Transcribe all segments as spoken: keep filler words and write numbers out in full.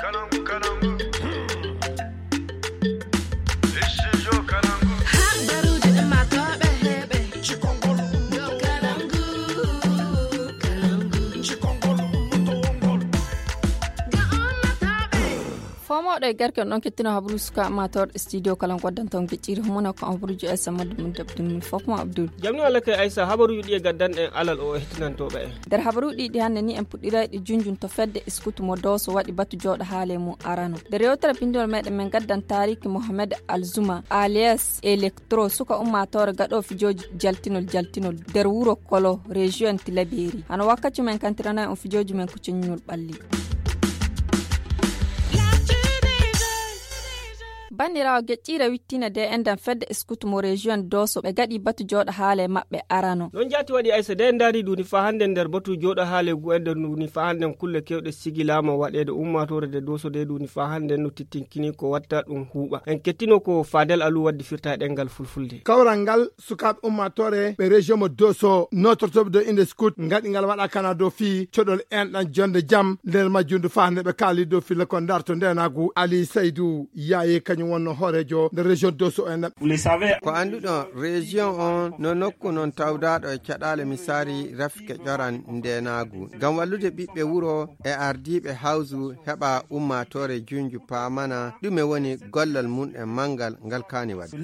Habaruuji ummaatooɓe heɓe. Cikongol ummaatooɓe. Cikongol ummaatooɓe. Fomooɗo e garke on ɗon kettino habaru suka ummaatooɗo studio kala on goddanto on gecciri homuno ko habaruuji Aisa Maddu mun dabdun fof mo Abdul. Jamni walla kay Aisa, habaruuji ɗi e gaddan en alal o hettinantooɓe en. Nder habaruuji ɗi hannde ni en puɗɗirayɗi junjun to fedde scout mo Dooso waɗi batu jooɗo haale mum arano. Nder yewtere binndol meɗen men gaddan taariki Mohamed Alzuma alias Electro, suka ummaatoore gaɗo fijooji jaltinol jaltinol nder wuro Kolo, région Tilaberi. Hano wakkaci men kantiranay on fijooji men ko ceññol ɓalli. Banndiraawo geƴƴiire wittiina de endan fedde scout mo région Dooso ɓe gaɗi batu jooɗo haale maɓɓe arano. Non jaati waɗi Aisa de en ndaari duuni faa hannden nder batu jooɗo haale gu en nder duuni faa hannden kulle kewɗe sigilaama waɗeede ummaatoore de Dooso de duuni faa hannden no tittinkini ko watta ɗum huuɓa. En kettino ko Fadel Alu waddi firta e ɗemngal fulfulde. Kawral ngal sukaaɓe ummaatoore ɓe région mo Dooso nootortooɓe dow innde scout ngaɗi ngal waɗa kana dow fii coɗol enɗan jonde jam nder majjundu faa nde ɓe kaali dow filla ko ndarto ndeenaagu. Ali Saydu Yaaye kañum wonno hooreejo nder région Dooso en. Ko annduɗon, région on no nokku non tawdaaɗo e caɗaale misaari rafike ƴoran ndeenaagu. Ngam wallude ɓiɓɓe wuro e ardiiɓe hawsu heɓa ummaatoore junju paamana ɗume woni gollal mum en manngal ngal kaani waɗde.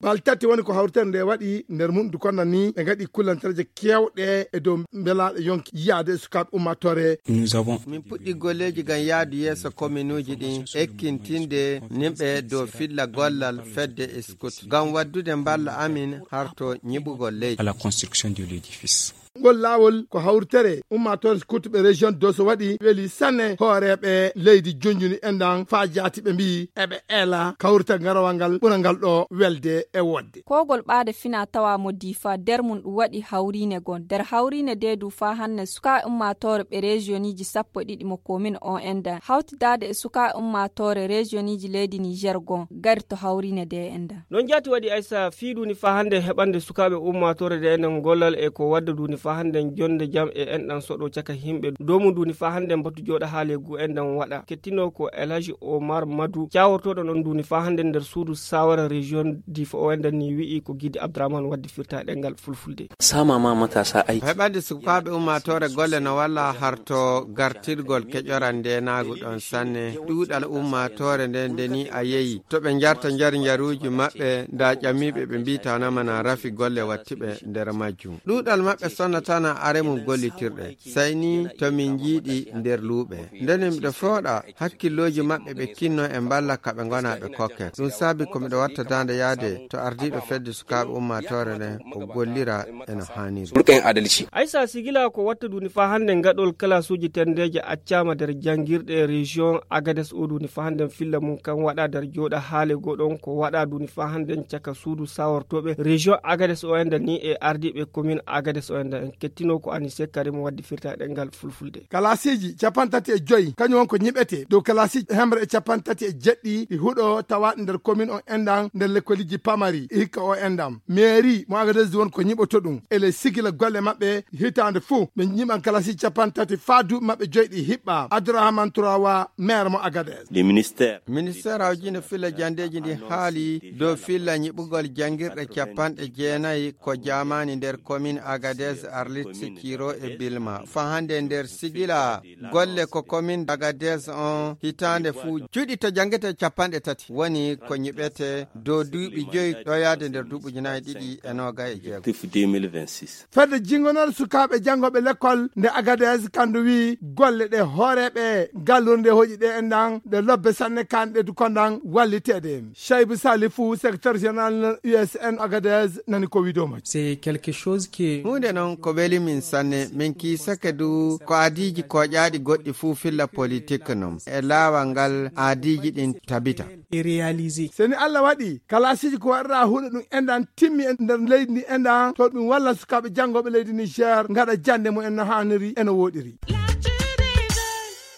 Bal tati woni ko hawritere nde waɗi nder mum du konda ni ɓe ngaɗi kullantereeje kewɗe e dow mbelaaɗo yonki yiyaade e sukaaɓe ummaatoore. Min puɗɗi golleeji ngam yaadu yeeso kominuuji ɗin, ekkintinde nimɓe dow filla gollal fedde scout ngam waddude mballa amin harto ñiɓugol leydi. À la construction de l'édifice. Ngol laawol ko hawritere ummaatoore scout ɓe région Dooso waɗi weli sanne hooreeɓe leydi junjuni endan faa jaati ɓe mbiyi eɓe eela kawrital ngarawal ngal ɓura ngal ɗo welde e wodde. Kogol ɓaade fina tawa mo Difa nder mum ɗum waɗi hawriine gon. Nder hawriine de du faa hanne sukaaɓe ummaatoore ɓe rejiyoniji sappo e ɗiɗi mo komin o endan hawtidaade e sukaaɓe ummaatoore rejiyoniji leydi Niger gon gari to hawriine de endan. Non jaati waɗi Aisa fii duuni faa hannden heɓande sukaaɓe ummaatoore de endan gollal e ko wadda duuni faa hannden jonde jam e enɗan soɗo caka himɓe. Dow mum duuni faa hannden batu jooɗa haale gu endan waɗa. Kettino ko El Hadji Omar Madu, cawortooɗo non duuni faa hannden nder suudu saawara région Difa o endan ni wi'i ko Gidi Abdourahmane waddi firta e ɗemngal fulfulde. Sama ma matasa aiki. Heɓande sukaaɓe ummaatoore golle no walla harto gartirgol keƴoral ndeenaagu ɗon sanne. Ɗuuɗal ummaatoore nden nde ni a yeyi. To ɓe njarta njar njaruuji maɓɓe, nda ƴamiiɓe ɓe mbiitanama na rafi golle wattiɓe nder majjum. Ɗuuɗal maɓɓe sonnatana are mum gollitirɗe. Sey ni to min njiiɗi nder luuɓe. Nden miɗo fooɗa hakkillooji maɓɓe ɓe kinno e mballa ka ɓe ngona ɓe kokke. Ɗum saabi ko miɗo watta daande yaade to ardiiɗo fedde sukaaɓe ummaatoore nden o gollira e no haaniri. Ɓurɗen adalci. Aysa sigila ko watta duuni faa hannden gaɗol kalasuuji tenndeeje accaama nder janngirɗe région Agadez o duuni faa hannden filla mum kan waɗa nder jooɗa haale goo ɗon ko waɗa duuni faa hannden caka suudu sawortooɓe région Agadez o enda ni e ardiiɓe commune Agadez o enda en kettino ko Anise Karim waddi firta e ɗemngal fulfulde. Kalasiiji cappanɗe tati e joy kañum won ko ñiɓete dow kalasiiji hemre e cappanɗe tati e jeɗɗi ɗi huɗo tawaaɗi nder commune o endan nder lekkoliji pamari e hikka o endam. Mairie mo Agadez won ko ñiɓoto ɗum. Ele sigila golle maɓɓe hitaande fuu ɓe ñiɓan kalasiiji cappanɗe tati faa duuɓi maɓɓe joy ɗi hiɓɓa. Abdourahmane Trawa, maire mo Agadez. Le ministère. Ministère awjino filla jandeeji ndi haali dow filla ñiɓugol janngirɗe cappanɗe jeenayi ko jaamaani nder commune Agadez, Arlit, Sikiro e Bilma. Faa hannde nder sigila golle ko commune Agadez on hitaande fuu juɗi to janngete cappanɗe tati woni ko ñiɓete dow duuɓi joyi ɗo yaade nder duuɓi ujunaaji ɗiɗi e noogay e jeego. Effectif deux mille vingt-six. Fedde jingonore sukaaɓe janngooɓe lekkol nde Agadez kandu wi'i golle ɗe hooreeɓe gallure nde hoƴi ɗe endan ɗe lobbe sanne kanɗe du kondan walliteede. Shaibu Salifu, secrétaire général U S N Agadez, nani ko wi'ude mo. C'est quelque chose qui est. Huunde noon ko weli min sanne, min kiisake du ko adiiji kooƴaaɗi goɗɗi fuu filla politique noon. E laawal ngal adiiji ɗin tabita. Et réalisé. Seni Allah waɗi, kalasiiji ko waɗata huɗo ɗum endan timmi e nder leydi ndi endan, to ɗum walla sukaaɓe janngooɓe leydi Niger ngaɗa jannde mum en no haaniri e no wooɗiri.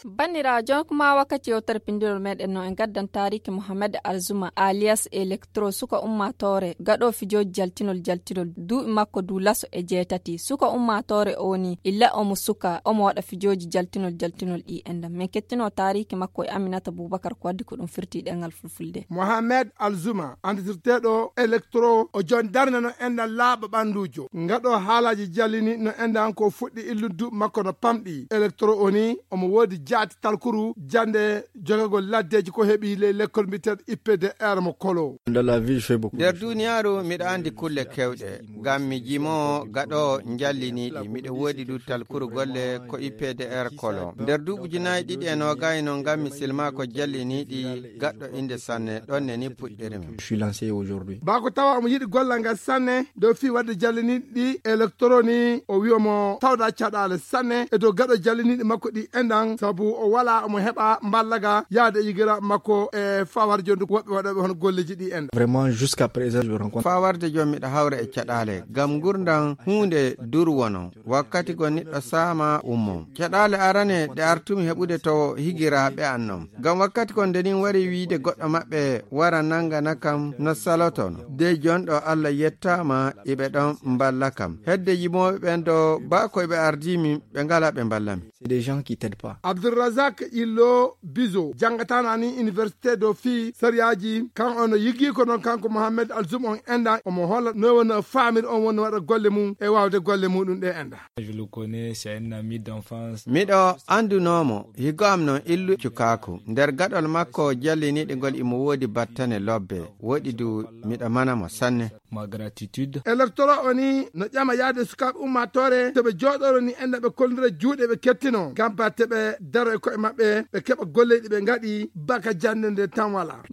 Banndiraajo, kuma wakkati yewtere pindirol meɗen no en gaddan taariki Mohamed Alzuma alias Electro, suka ummaatoore gaɗo fijooji jaltinol jaltinol, duuɓi makko du laso e jeetati. Suka ummaatoore o ni illa omo suka, omo waɗa fijooji jaltinol jaltinol ɗi enɗam. Min kettino taariki makko e Aminata Bubakar ko waddi ko ɗum firti ɗengal fulfulde. Mohamed Alzuma, anditirteeɗo Electro, o jon darnde no enɗam laaɓa ɓannduujo. Ngaɗo haalaaji jallini no enɗam ko fuɗɗi illude duuɓi makko no pamɗi. Electro o ni omo woodi jaati talkuru jannde jogagol laddeeji ko heɓi ley lekkol mbiyeteeɗo I P D R mo Kolo. Dans la vie, je fais beaucoup de nder choses. Duniyaaru miɗo anndi kulle kewɗe. Ngam mi jimo gaɗo njalliniiɗi. Miɗo woodi du talkuru golle ko I P D R Kolo. Nder duuɓi ujunaaji ɗiɗi e noogay no ngam mi silma ko jalliniiɗi gaɗɗo innde sanne. Ɗon ne ni puɗɗirmi. Je suis lancé aujourd'hui. Bako tawa omo yiɗi gollal ngal sanne dow fii waɗde jalliniiɗi Electro ni, o wiyo mo tawda caɗaale sanne e dow gaɗo jalliniiɗi makko ɗi enɗam, sabu o wala omo heɓa mballaga yaade e yigiraaɓe makko e fawar jondu woɓɓe waɗooɓe hono golleji ɗi enɗam. Vraiment, jusqu'à présent, je rencontre. Fawarde jom miɗo hawra e caɗaale ngam ngurndan huunde durwono. Wakkati go niɗɗo saama ummo. Caɗaale arane ɗe artumi heɓude to higiraaɓe an non. Ngam wakkati kon nde nin wari wiide goɗɗo maɓɓe wara nangana kam no salotono. De jonɗo Allah yettaama iɓe ɗon mballa kam. Hedde yimooɓe ɓen ɗo baa ko iɓe ardimi ɓe ngala ɓe mballami. C'est des gens qui t'aident pas. Abdulrazak Illo Bizo, janngatana ni université do fii sariyaaji, kan on yigii ko noon kanko Mohamed Alzum on enɗan, omo holla no woni faamir on woni waɗa golle mum e waawde golle muɗum ɗe enɗan. Je le connais, c'est un ami d'enfance. Miɗo anndunoo mo, higo am non illu cukaaku. Nder gaɗol makko jalliniiɗi ngol imo woodi battane lobbe, woɗi du miɗo mana mo sanne. Ma gratitude. Electro o ni no ƴama yaade sukaaɓe ummaatoore, to ɓe jooɗoro ni enɗan ɓe kollira juuɗe ɓe kettino, ngam batte ɓe daro e ko'e maɓɓe, ɓe keɓa golleeji ɓe ngaɗi, baka jannde nde tan wala.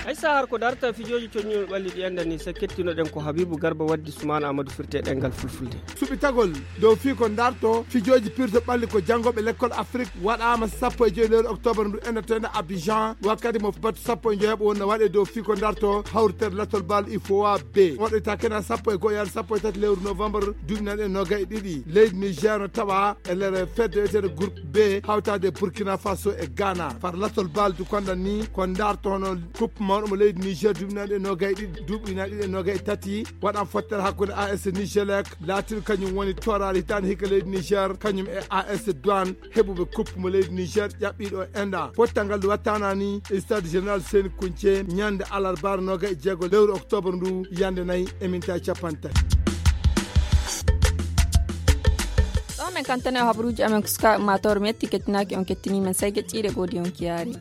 Hay sahar ko darta fijooji coññuɗo ɓalli ɗi enɗan ni, so kettinoɗen ko Habibu Garba waddi Sumaan Amadou firte ɗengal fulfulde. Suɓitagol dow fii ko darto fijooji pirto ɓalli ko janngooɓe lekkol Afrik waɗaama sappo e joyi lewru octobre ndu enɗan to enɗan Abidjan, wakkati mo batu sappo e joyaɓo wonno waɗe dow fii ko darto hawritere lattol bal ifowa B. Waɗoyta kena sappo e go'o yaade sappo e tati lewru novembre duuɓi nayi e noogay e ɗiɗi. Leydi Niger no tawa e nder fedde wiyeteende groupe B, hawtaade Burkina Faso e Ghana. Far lattol bal du konɗan ni ko darto hono coupe mawɗo mo leydi Niger duuɓi nayi e noogay e ɗiɗi, duuɓi nayi e noogay e tati. Waɗan fottere hakkunde A S Nigelec, laatiiɗo kañum woni tooraade hitaande hikka leydi Niger, kañum e A S Douane, heɓuɓe coupe mo leydi Niger ƴaɓɓiiɗo enɗan. Pottal ngal wattana ni e stade général Seni Kunce, ñande alarbaare noogay e jeego lewru octobre ndu, yande nayi e minta capanɗe tati. Ɗo men kantane o habaruuji amen ko sukaaɓe maatoore, mi yetti kettinaaki on kettini men, sey geƴƴiiɗe goodi on kiyaari.